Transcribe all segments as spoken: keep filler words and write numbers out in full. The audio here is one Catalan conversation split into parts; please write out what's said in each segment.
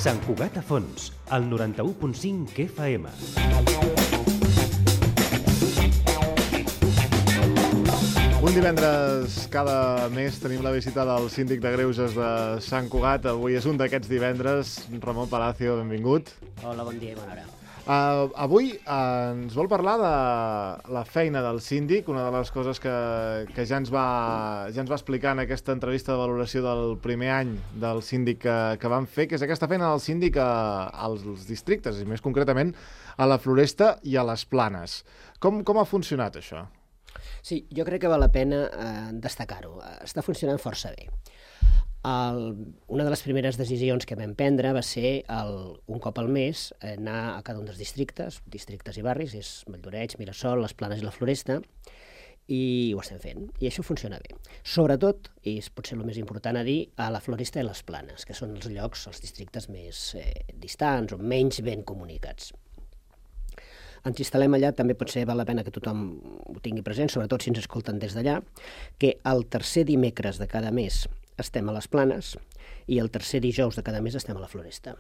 Sant Cugat a Fons, al noranta-u punt cinc F M. Un divendres cada mes tenim la visita del síndic de Greuges de Sant Cugat. Avui és un d'aquests divendres. Ramon Palacio, benvingut. Hola, bon dia i bona hora. Uh, avui uh, ens vol parlar de la feina del síndic, una de les coses que, que ja, ens va, ja ens va explicar en aquesta entrevista de valoració del primer any del síndic que, que vam fer, que és aquesta feina del síndic a, als districtes, i més concretament a la Floresta i a les Planes. Com, com ha funcionat això? Sí, jo crec que val la pena eh, destacar-ho. Està funcionant força bé. El, una de les primeres decisions que vam prendre va ser el, un cop al mes anar a cada un dels districtes, districtes i barris, és Valldoreig, Mirasol, les Planes i la Floresta, i ho estem fent, i això funciona bé. Sobretot, i és potser el més important a dir, a la Floresta i les Planes, que són els llocs, els districtes més eh, distants o menys ben comunicats. Ens instal·lem allà, també potser val la pena que tothom ho tingui present, sobretot si ens escolten des d'allà, que el tercer dimecres de cada mes estem a les Planes i el tercer dijous de cada mes estem a la Floresta.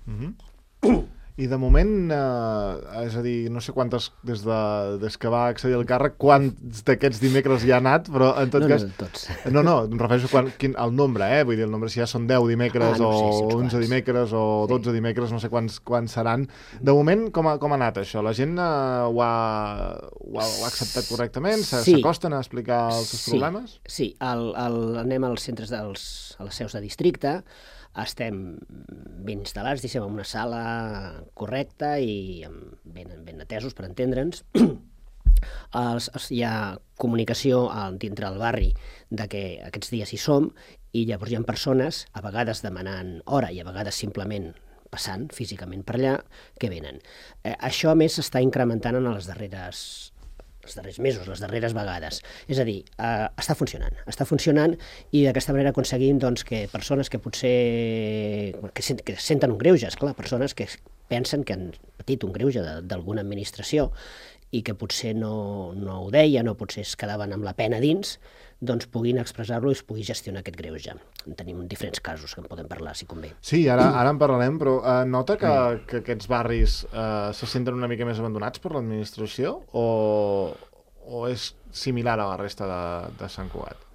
Mm-hmm. I de moment, eh, és a dir, no sé quantes, des, de, des que va accedir al càrrec, quants d'aquests dimecres hi ha anat, però en tot no, cas... No, tots. No, no, em refereixo quan, quin, al nombre, eh? Vull dir, el nombre, si ja són deu dimecres, ah, no sé, si o onze quants. dimecres, o sí. dotze dimecres, no sé quants, quants seran. De moment, com ha, com ha anat això? La gent eh, ho, ha, ho, ha, ho ha acceptat correctament? S'acosten sí. a explicar els seus sí. problemes? Sí, el, el, anem als centres dels, a les seus de districte, estem ben instal·lats, diguem, en una sala correcta i ben, ben atesos per entendre'ns. Els, els, hi ha comunicació dintre del barri de que aquests dies hi som i llavors hi ha persones, a vegades demanant hora i a vegades simplement passant físicament per allà, que venen. Eh, això, a més, s'està incrementant en les darreres els darrers mesos, les darreres vegades. És a dir, eh, està funcionant, està funcionant i d'aquesta manera aconseguim doncs, que persones que potser que, sent, que senten un greuge, esclar, persones que pensen que han patit un greuge d'alguna administració i que potser no, no ho deien o potser es quedaven amb la pena dins, doncs puguin expressar-lo i es pugui gestionar aquest greuge. Tenim diferents casos que en podem parlar, si convé. Sí, ara, ara en parlarem, però eh, nota que, que aquests barris eh, se senten una mica més abandonats per l'administració o, o és similar a la resta de, de Sant Cugat?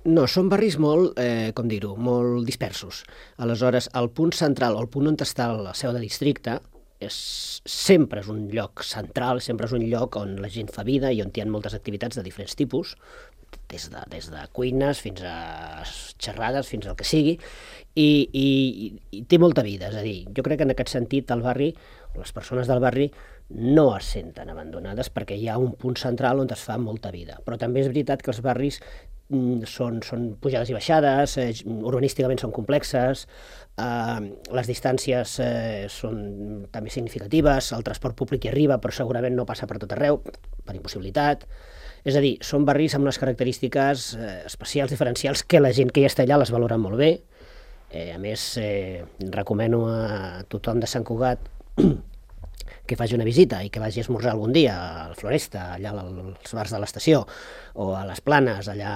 No, són barris molt, eh, com dir-ho, molt dispersos. Aleshores, el punt central o el punt on està la seu de districte és, sempre és un lloc central, sempre és un lloc on la gent fa vida i on hi ha moltes activitats de diferents tipus, des de, des de cuines fins a xerrades, fins al que sigui, i, i, i té molta vida. És a dir, jo crec que en aquest sentit el barri, les persones del barri, no es senten abandonades perquè hi ha un punt central on es fa molta vida. Però també és veritat que els barris són, són pujades i baixades, eh, urbanísticament són complexes, eh, les distàncies eh, són també significatives, el transport públic hi arriba però segurament no passa per tot arreu, per impossibilitat. És a dir, són barris amb unes característiques eh, especials, diferencials, que la gent que hi està allà les valora molt bé. Eh, a més, eh, recomano a tothom de Sant Cugat que faci una visita i que vagi a esmorzar algun dia a la Floresta, allà als bars de l'estació, o a les Planes, allà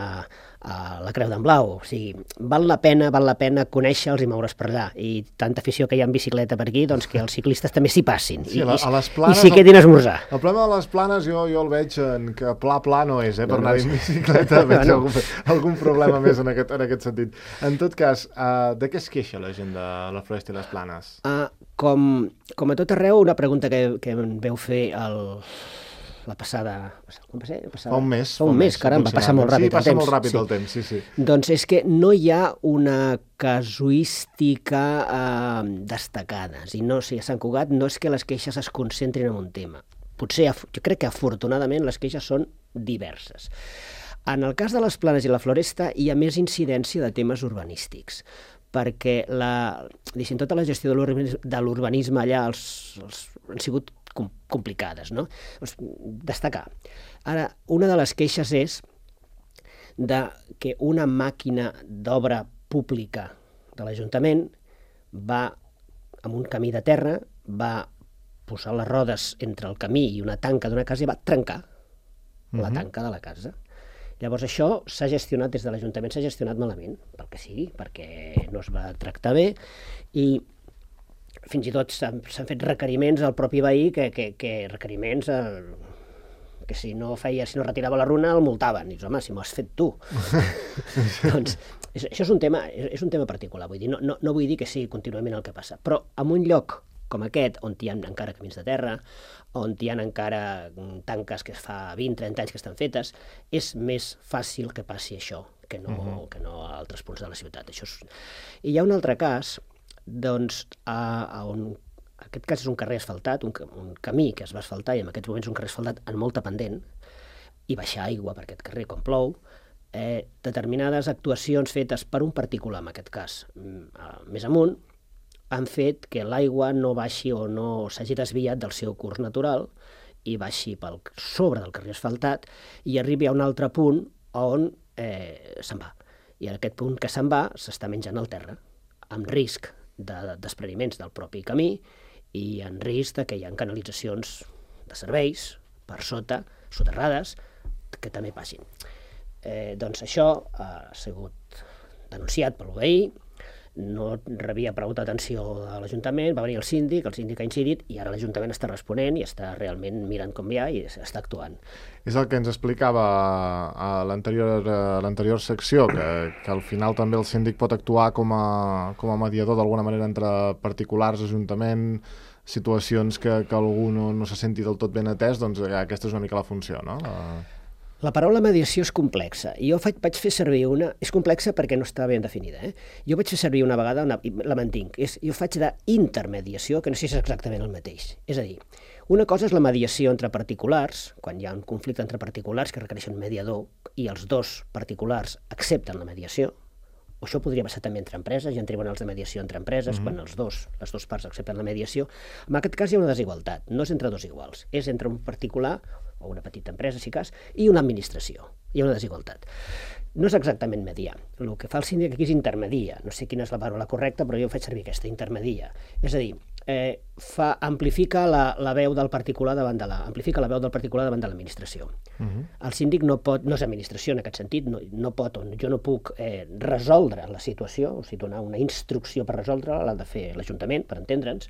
a la Creu d'en Blau. O sigui, val la pena, val la pena conèixer-los i moure's per allà. I tanta afició que hi ha en bicicleta per aquí, doncs que els ciclistes també s'hi passin. Sí, I, a les Planes, i s'hi quedin a esmorzar. El problema de les Planes jo, jo el veig en que pla pla no és, eh, per no, anar no, en bicicleta, veig no. algun, algun problema més en aquest, en aquest sentit. En tot cas, uh, de què es queixa la gent de la Floresta i les Planes? Uh, com, com a tot arreu, una pregunta que, que em veu fer el, la passada... Com va ser? Passada, fa un mes. Fa un mes, caram, va passar molt ràpid sí, passa el temps. molt ràpid sí. el temps, sí, sí. Doncs és que no hi ha una casuística eh, destacada. I no, o sigui, a Sant Cugat no és que les queixes es concentrin en un tema. Potser, jo crec que afortunadament les queixes són diverses. En el cas de les Planes i la Floresta hi ha més incidència de temes urbanístics, perquè la, diguem, tota la gestió de l'urbanisme allà els, els, han sigut complicades, no? Destacar. Ara, una de les queixes és de que una màquina d'obra pública de l'Ajuntament va amb un camí de terra, va posar les rodes entre el camí i una tanca d'una casa i va trencar mm-hmm. la tanca de la casa. Llavors això s'ha gestionat des de l'Ajuntament, s'ha gestionat malament, pel que sigui, perquè no es va tractar bé, i fins i tot s'han fet requeriments al propi veí, que, que, que requeriments eh, que si no feia, si no retirava la runa el multaven. I dius, home, si m'ho has fet tu. Doncs és, això és un tema, és, és un tema particular, vull dir, no, no, no vull dir que sigui contínuament el que passa, però en un lloc com aquest, on hi ha encara camins de terra, on hi ha encara tanques que fa vint trenta anys que estan fetes, és més fàcil que passi això que no, uh-huh. que no a altres punts de la ciutat. Això és... I hi ha un altre cas, doncs, a, a on aquest cas és un carrer asfaltat, un, un camí que es va asfaltar, i en aquests moments un carrer asfaltat en molta pendent, i baixar aigua per aquest carrer quan plou, eh, determinades actuacions fetes per un particular, en aquest cas, més amunt, han fet que l'aigua no baixi o no s'hagi desviat del seu curs natural i baixi pel sobre del carrer asfaltat i arribi a un altre punt on eh, se'n va. I en aquest punt que se'n va s'està menjant el terra, amb risc de despreniments del propi camí i en risc de que hi ha canalitzacions de serveis per sota, soterrades, que també passin. Eh, doncs això ha sigut denunciat per l'U B I, no rebia prou atenció de l'Ajuntament, va venir el síndic, el síndic ha incidit i ara l'Ajuntament està responent i està realment mirant com hi ha i està actuant. És el que ens explicava a l'anterior a l'anterior secció, que, que al final també el síndic pot actuar com a, com a mediador d'alguna manera entre particulars, Ajuntament, situacions que, que algú no, no se senti del tot ben atès, doncs aquesta és una mica la funció, no? La... La paraula mediació és complexa. Jo faig, vaig fer servir una... És complexa perquè no està ben definida. Eh? Jo vaig fer servir una vegada, una, la mantinc, és, jo faig d'intermediació, que no sé si és exactament el mateix. És a dir, una cosa és la mediació entre particulars, quan hi ha un conflicte entre particulars que requereixen un mediador i els dos particulars accepten la mediació, o això podria passar també entre empreses, hi ha tribunals de mediació entre empreses, mm-hmm. quan els dos, les dues parts accepten la mediació. En aquest cas hi ha una desigualtat, no és entre dos iguals, és entre un particular o una petita empresa, si cas, i una administració. Hi ha una desigualtat. No és exactament mediar. El que fa el síndic aquí és intermedia. No sé quina és la paraula correcta, però jo faig servir aquesta, intermedia. És a dir, eh, fa, amplifica la, la veu del particular davant de la, amplifica la veu del particular davant de l'administració. Uh-huh. El síndic no pot, no és administració en aquest sentit, no, no pot, jo no puc eh, resoldre la situació, o sigui, donar una instrucció per resoldre-la, l'ha de fer l'Ajuntament, per entendre'ns,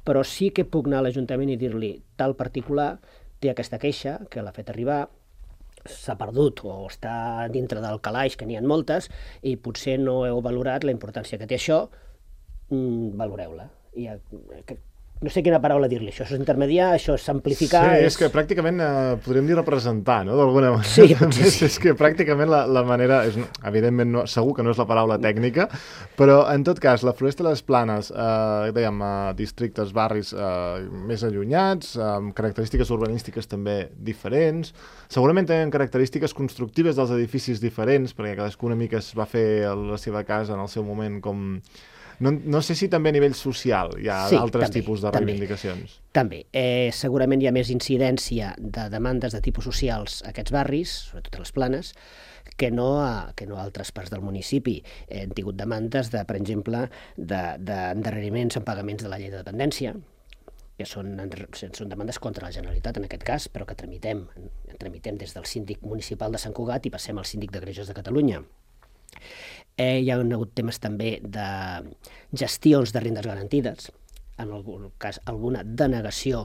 però sí que puc anar a l'Ajuntament i dir-li tal particular té aquesta queixa, que l'ha fet arribar, s'ha perdut o està dintre del calaix, que n'hi ha moltes, i potser no heu valorat la importància que té això, mm, valoreu-la. I, que, no sé quina paraula dir-li, això és intermediar, això és amplificar... Sí, és, és que pràcticament eh, podríem dir representar, no?, d'alguna manera. Sí, potser sí. És que pràcticament la, la manera... És, evidentment, no, segur que no és la paraula tècnica, però en tot cas, la Floresta de les Planes, eh, dèiem, eh, districtes, barris eh, més allunyats, amb característiques urbanístiques també diferents, segurament tenen característiques constructives dels edificis diferents, perquè cadascú una mica es va fer la seva casa en el seu moment com... No, no sé si també a nivell social hi ha sí, altres també, tipus de reivindicacions. També. també. Eh, segurament hi ha més incidència de demandes de tipus socials a aquests barris, sobretot a les Planes, que no a, que no a altres parts del municipi. Eh, hem tingut demandes, de, per exemple, d'endarreriments de, en pagaments de la llei de dependència, que són, són demandes contra la Generalitat en aquest cas, però que tramitem, tramitem des del síndic municipal de Sant Cugat i passem al síndic de Greuges de Catalunya. Eh, hi ha hagut temes també de gestions de rendes garantides, en algun cas alguna denegació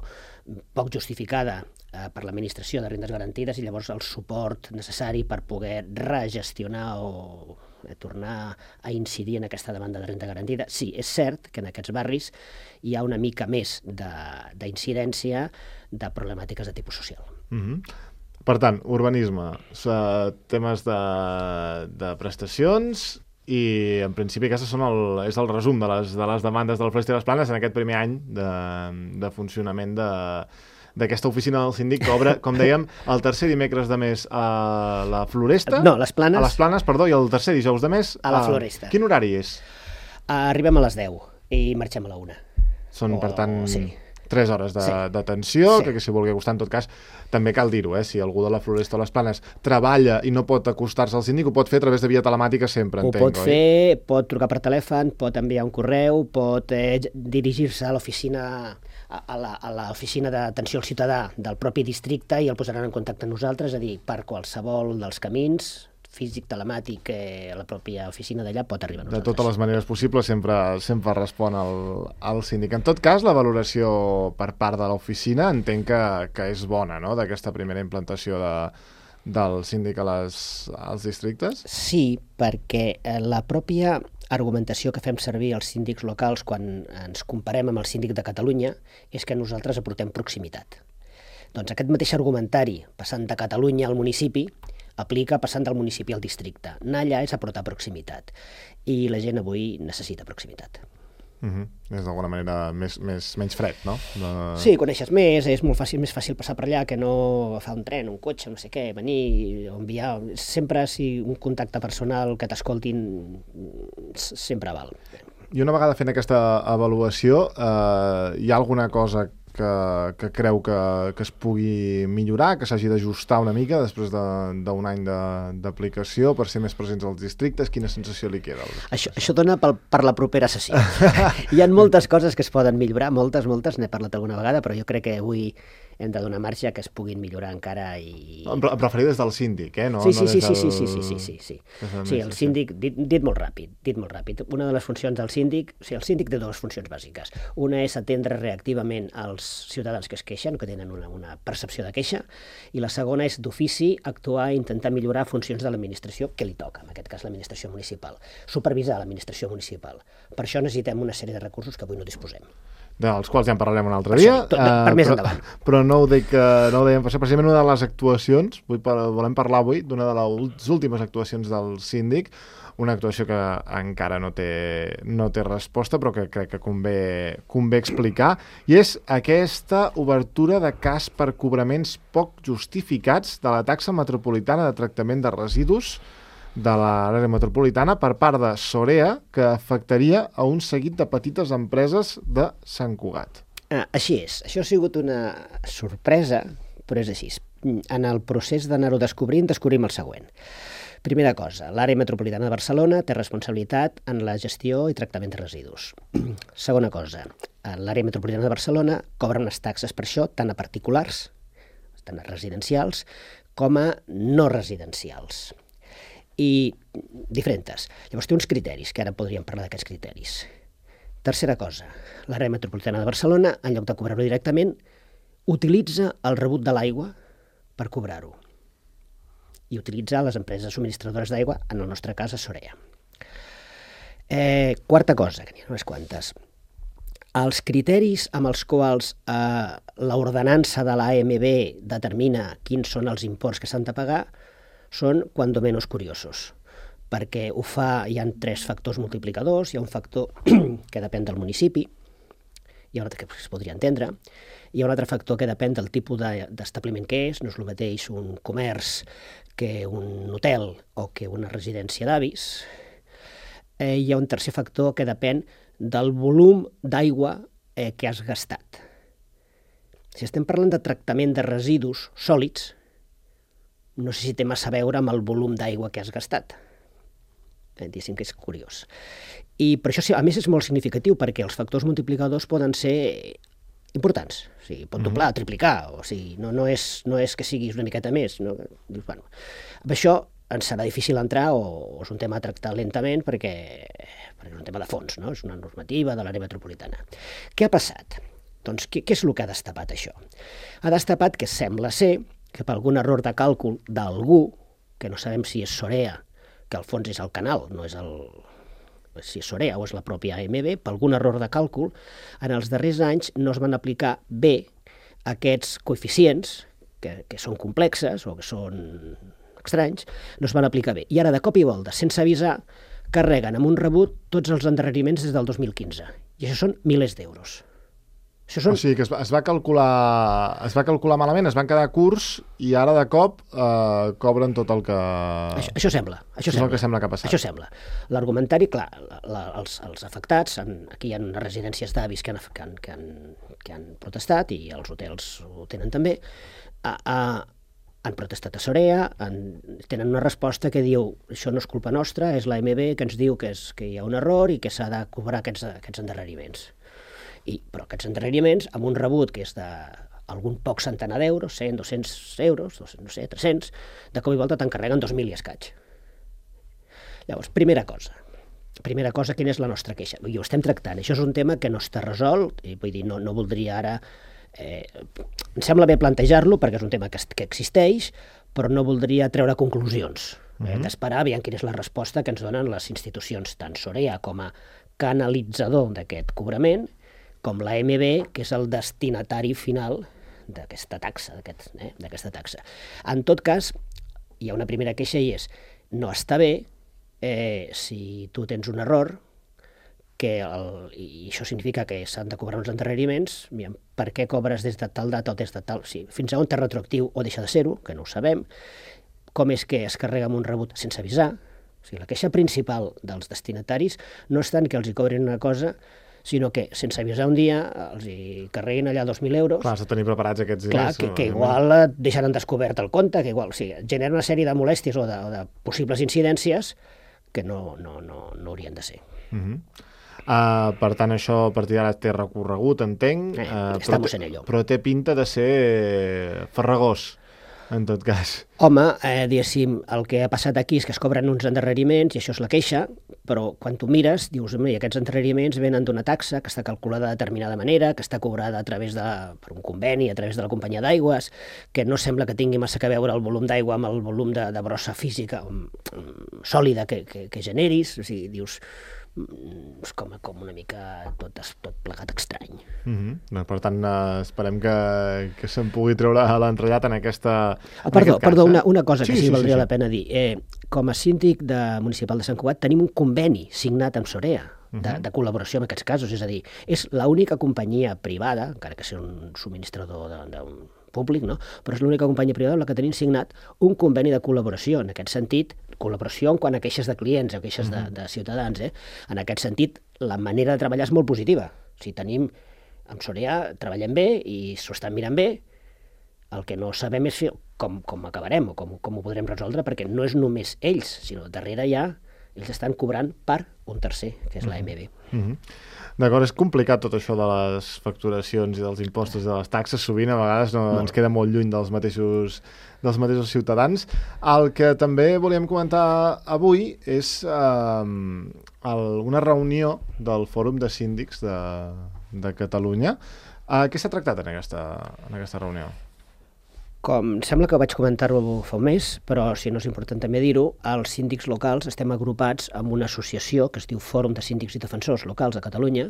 poc justificada eh, per l'administració de rendes garantides i llavors el suport necessari per poder regestionar o eh, tornar a incidir en aquesta demanda de renda garantida. Sí, és cert que en aquests barris hi ha una mica més d'incidència de, de problemàtiques de tipus social. Mm-hmm. Per tant, urbanisme, temes de, de prestacions i, en principi, aquest són el, és el resum de les, de les demandes de la Floresta de les Planes en aquest primer any de, de funcionament de, d'aquesta oficina del síndic que obre, com dèiem, el tercer dimecres de mes a la Floresta. No, les Planes. A les Planes, perdó, i el tercer dijous de mes a la Floresta. Quin horari és? Arribem a les deu i marxem a la una. Són, o, per tant... Sí. tres hores d'atenció, sí. que, que si vulgui acostar, en tot cas, també cal dir-ho, eh? Si algú de la Floresta o les Planes treballa i no pot acostar-se al síndic, ho pot fer a través de via telemàtica sempre, ho entenc, pot fer, oi? Pot trucar per telèfon, pot enviar un correu, pot eh, dirigir-se a l'oficina a l'oficina d'atenció al ciutadà del propi districte i el posaran en contacte amb nosaltres, és a dir, per qualsevol dels camins, físic, telemàtic, eh, a la pròpia oficina d'allà, pot arribar a De nosaltres. totes les maneres possibles sempre, sempre respon el, el síndic. En tot cas, la valoració per part de l'oficina entenc que, que és bona, no?, d'aquesta primera implantació de, del síndic a les, als districtes? Sí, perquè eh, la pròpia argumentació que fem servir els síndics locals quan ens comparem amb el síndic de Catalunya és que nosaltres aportem proximitat. Doncs aquest mateix argumentari, passant de Catalunya al municipi, aplica passant del municipi al districte. Anar allà és aportar proximitat. I la gent avui necessita proximitat. Uh -huh. És d'alguna manera més, més, menys fred, no? De... Sí, coneixes més, és molt fàcil, més fàcil passar per allà que no agafar un tren, un cotxe, no sé què, venir o enviar. Sempre, si un contacte personal que t'escoltin, sempre val. I una vegada fent aquesta avaluació, eh, hi ha alguna cosa que, que creu que, que es pugui millorar, que s'hagi d'ajustar una mica després d'un any d'aplicació per ser més presents als districtes? Quina sensació li queda? Això, això dona pel, per la propera sessió. Hi ha moltes coses que es poden millorar, moltes, moltes, n'he parlat alguna vegada, però jo crec que avui hem de donar marge que es puguin millorar encara i... Em referia des del síndic, eh? No, sí, sí, no sí, des sí, del... sí, sí, sí, sí, sí. Sí, el síndic, dit, dit molt ràpid, dit molt ràpid. Una de les funcions del síndic, o sigui, el síndic té dues funcions bàsiques. Una és atendre reactivament als ciutadans que es queixen, que tenen una, una percepció de queixa, i la segona és d'ofici actuar i intentar millorar funcions de l'administració que li toca, en aquest cas l'administració municipal, supervisar l'administració municipal. Per això necessitem una sèrie de recursos que avui no disposem. Dels quals ja en parlarem un altre dia. Tot, per uh, més però, endavant. Però no ho dic, uh, no ho dèiem passar. Precisament una de les actuacions, vull par volem parlar avui d'una de les últimes actuacions del síndic, una actuació que encara no té, no té resposta, però que crec que convé, convé explicar, i és aquesta obertura de cas per cobraments poc justificats de la taxa metropolitana de tractament de residus de l'àrea metropolitana per part de Sorea, que afectaria a un seguit de petites empreses de Sant Cugat. Ah, així és. Això ha sigut una sorpresa, però és així. En el procés d'anar-ho descobrint, descobrim el següent. Primera cosa, l'àrea metropolitana de Barcelona té responsabilitat en la gestió i tractament de residus. Segona cosa, l'àrea metropolitana de Barcelona cobra unes taxes per això, tant a particulars, tant a residencials, com a no residencials. I diferents. Llavors té uns criteris, que ara podríem parlar d'aquests criteris. Tercera cosa, l'àrea metropolitana de Barcelona, en lloc de cobrar-ho directament, utilitza el rebut de l'aigua per cobrar-ho. I utilitza les empreses subministradores d'aigua, en el nostre cas a Sorea. Eh, quarta cosa, que n'hi ha unes quantes. Els criteris amb els quals eh, l'ordenança de l'A M B determina quins són els imports que s'han de pagar són, cuando menos, curiosos, perquè ho fa, hi ha tres factors multiplicadors, hi ha un factor que depèn del municipi, hi ha un altre que es podria entendre, hi ha un altre factor que depèn del tipus d'establiment que és, no és el mateix un comerç que un hotel o que una residència d'avis. Eh, hi ha un tercer factor que depèn del volum d'aigua eh, que has gastat. Si estem parlant de tractament de residus sòlids, no sé si té massa a veure amb el volum d'aigua que has gastat. Eh, diguéssim que és curiós. I per això, a més, és molt significatiu, perquè els factors multiplicadors poden ser importants. O sigui, pot doblar, mm-hmm. triplicar, o sigui, no, no, és, no és que siguis una miqueta més. No? Dius, bueno, amb això ens serà difícil entrar, o, o és un tema a tractar lentament, perquè, perquè és un tema de fons, no? És una normativa de l'àrea metropolitana. Què ha passat? Doncs què, què és el que ha destapat això? Ha destapat que sembla ser que per algun error de càlcul d'algú, que no sabem si és Sorea, que al fons és el canal, no és el... si és Sorea o és la pròpia A M B, per algun error de càlcul, en els darrers anys no es van aplicar bé aquests coeficients, que, que són complexes o que són estranys, no es van aplicar bé. I ara, de cop i volta, sense avisar, carreguen amb un rebut tots els endarreriments des del dos mil quinze. I això són milers d'euros. Són... O sigui, que es va, es, va calcular, es va calcular malament, es van quedar curts i ara de cop eh, cobren tot el que... Això, això sembla. Això, això sembla. és el que sembla que ha passat. Això sembla. L'argumentari, clar, la, la, els, els afectats, en, aquí hi ha unes residències d'avis que, que, han, que, han, que han protestat i els hotels ho tenen també, a, a, han protestat a Sorea, han, tenen una resposta que diu això no és culpa nostra, és l'A M B que ens diu que, és, que hi ha un error i que s'ha de cobrar aquests, aquests endarreriments. I, però aquests endarreriments, amb un rebut que és d'algun poc centenar d'euros, cent, dos-cents euros, no sé, tres-cents, de cop i volta t'encarreguen dos mil i escaig. Llavors, primera cosa. Primera cosa, quina és la nostra queixa? I ho estem tractant. Això és un tema que no està resolt, i vull dir, no, no voldria ara... Eh, em sembla bé plantejar-lo, perquè és un tema que, que existeix, però no voldria treure conclusions. Eh, mm-hmm. D'esperar aviam quina és la resposta que ens donen les institucions, tant Sorea com a canalitzador d'aquest cobrament, com l'A M B, que és el destinatari final d'aquesta taxa, d'aquest, eh, d'aquesta taxa. En tot cas, hi ha una primera queixa i és, no està bé eh, si tu tens un error, que el, i això significa que s'han de cobrar uns endarreriments, aviam, per què cobres des de tal data o des de tal... Sí, fins a on té retroactiu o deixa de ser-ho, que no ho sabem, com és que es carrega amb un rebut sense avisar. O sigui, la queixa principal dels destinataris no és tant que els hi cobrin una cosa, sinó que sense avisar un dia els hi carreguin allà dos mil euros. Clar, has de tenir preparats aquests diners. Clar, que, que igual deixaran descobert el compte, que igual, o sigui, genera una sèrie de molèsties o de, o de possibles incidències que no, no, no, no haurien de ser. Uh-huh. Uh, per tant, això a partir d'ara té recorregut, entenc, eh, uh, però, té, però té pinta de ser farragós, en tot cas. Home, eh, diguéssim, el que ha passat aquí és que es cobren uns endarreriments i això és la queixa, però quan tu mires, dius, home, aquests endarreriments venen d'una taxa que està calculada de determinada manera, que està cobrada a través de, per un conveni, a través de la companyia d'aigües, que no sembla que tingui massa a veure el volum d'aigua amb el volum de, de brossa física um, um, sòlida que, que, que generis. O sigui, dius, és com, com una mica tot, tot plegat estrany. Mm-hmm. Per tant, uh, esperem que, que se'n pugui treure l'entrellat en aquesta... Ah, perdó, en perdó cas, una, una cosa que sí, sí, sí valdria sí, sí. la pena dir. Eh, com a síndic de municipal de Sant Cugat tenim un conveni signat amb Sorea de, uh-huh. de col·laboració en aquests casos, és a dir, és l'única companyia privada, encara que sigui un subministrador d'un públic, no? Però és l'única companyia privada amb la que tenim signat un conveni de col·laboració. En aquest sentit, col·laboració en quant a queixes de clients o queixes uh-huh. de, de ciutadans. Eh? En aquest sentit, la manera de treballar és molt positiva. O sigui, tenim, amb Sorea treballem bé i s'ho estan mirant bé. El que no sabem és com, com acabarem o com, com ho podrem resoldre, perquè no és només ells, sinó darrere ja ells estan cobrant per un tercer, que és l'A M B. Uh-huh. D'acord, és complicat tot això de les facturacions i dels impostos i de les taxes, sovint a vegades no, ens queda molt lluny dels mateixos, dels mateixos ciutadans. El que també volíem comentar avui és eh, el, una reunió del Fòrum de Síndics de, de Catalunya. Eh, què s'ha tractat en aquesta, en aquesta reunió? Com sembla que vaig comentar-ho fa un mes, però si no és important també dir-ho, els síndics locals estem agrupats en una associació que es diu Fòrum de Síndics i Defensors Locals de Catalunya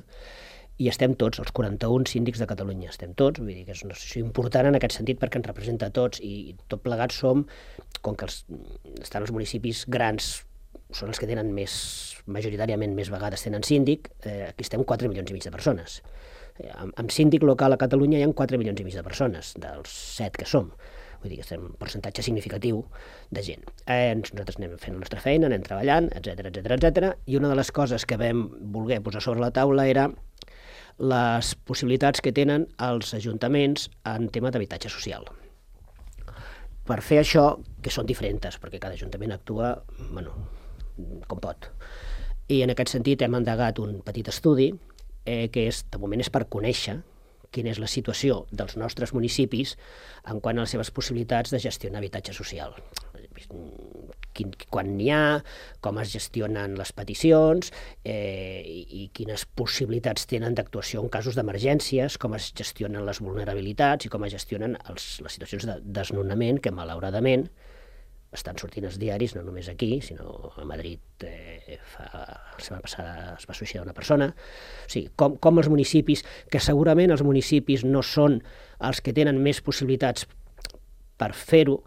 i estem tots, els quaranta-un síndics de Catalunya, estem tots, vull dir que és una associació important en aquest sentit perquè ens representa a tots i tot plegats som, com que els, estan els municipis grans, són els que tenen més, majoritàriament més vegades tenen síndic, eh, aquí estem quatre milions i mig de persones. Amb, amb síndic local a Catalunya hi ha quatre milions i mig de persones, dels set que som. Vull dir que estem un percentatge significatiu de gent. Eh, nosaltres anem fent la nostra feina, anem treballant, etcètera, etcètera, etcètera. I una de les coses que vam voler posar sobre la taula era les possibilitats que tenen els ajuntaments en tema d'habitatge social. Per fer això, que són diferents, perquè cada ajuntament actua, bueno, com pot. I en aquest sentit hem endegat un petit estudi Eh, que és, de moment és per conèixer quina és la situació dels nostres municipis en quant a les seves possibilitats de gestionar habitatge social. Quin, quan n'hi ha, com es gestionen les peticions eh, i, i quines possibilitats tenen d'actuació en casos d'emergències, com es gestionen les vulnerabilitats i com es gestionen els, les situacions de desnonament que malauradament estan sortint els diaris, no només aquí, sinó a Madrid eh, fa, la setmana passada es va suïcidar una persona. O sigui, com, com els municipis, que segurament els municipis no són els que tenen més possibilitats per fer-ho,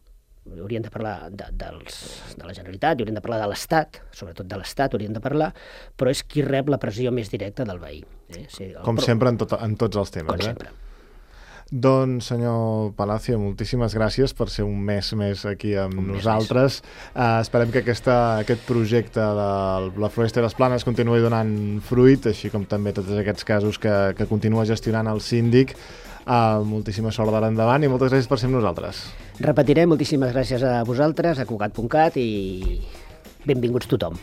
haurien de parlar de, dels, de la Generalitat, haurien de parlar de l'Estat, sobretot de l'Estat haurien de parlar, però és qui rep la pressió més directa del veí. Eh? O sigui, el, com però, sempre en, tot, en tots els temes. Com eh? sempre. Doncs, senyor Palacio, moltíssimes gràcies per ser un mes més aquí amb un nosaltres. Uh, esperem que aquesta, aquest projecte de la Floresta i les Planes continuï donant fruit, així com també tots aquests casos que, que continua gestionant el síndic. Uh, moltíssima sort d'ara endavant i moltes gràcies per ser amb nosaltres. Repetiré, moltíssimes gràcies a vosaltres, a Cugat punt cat i benvinguts tothom.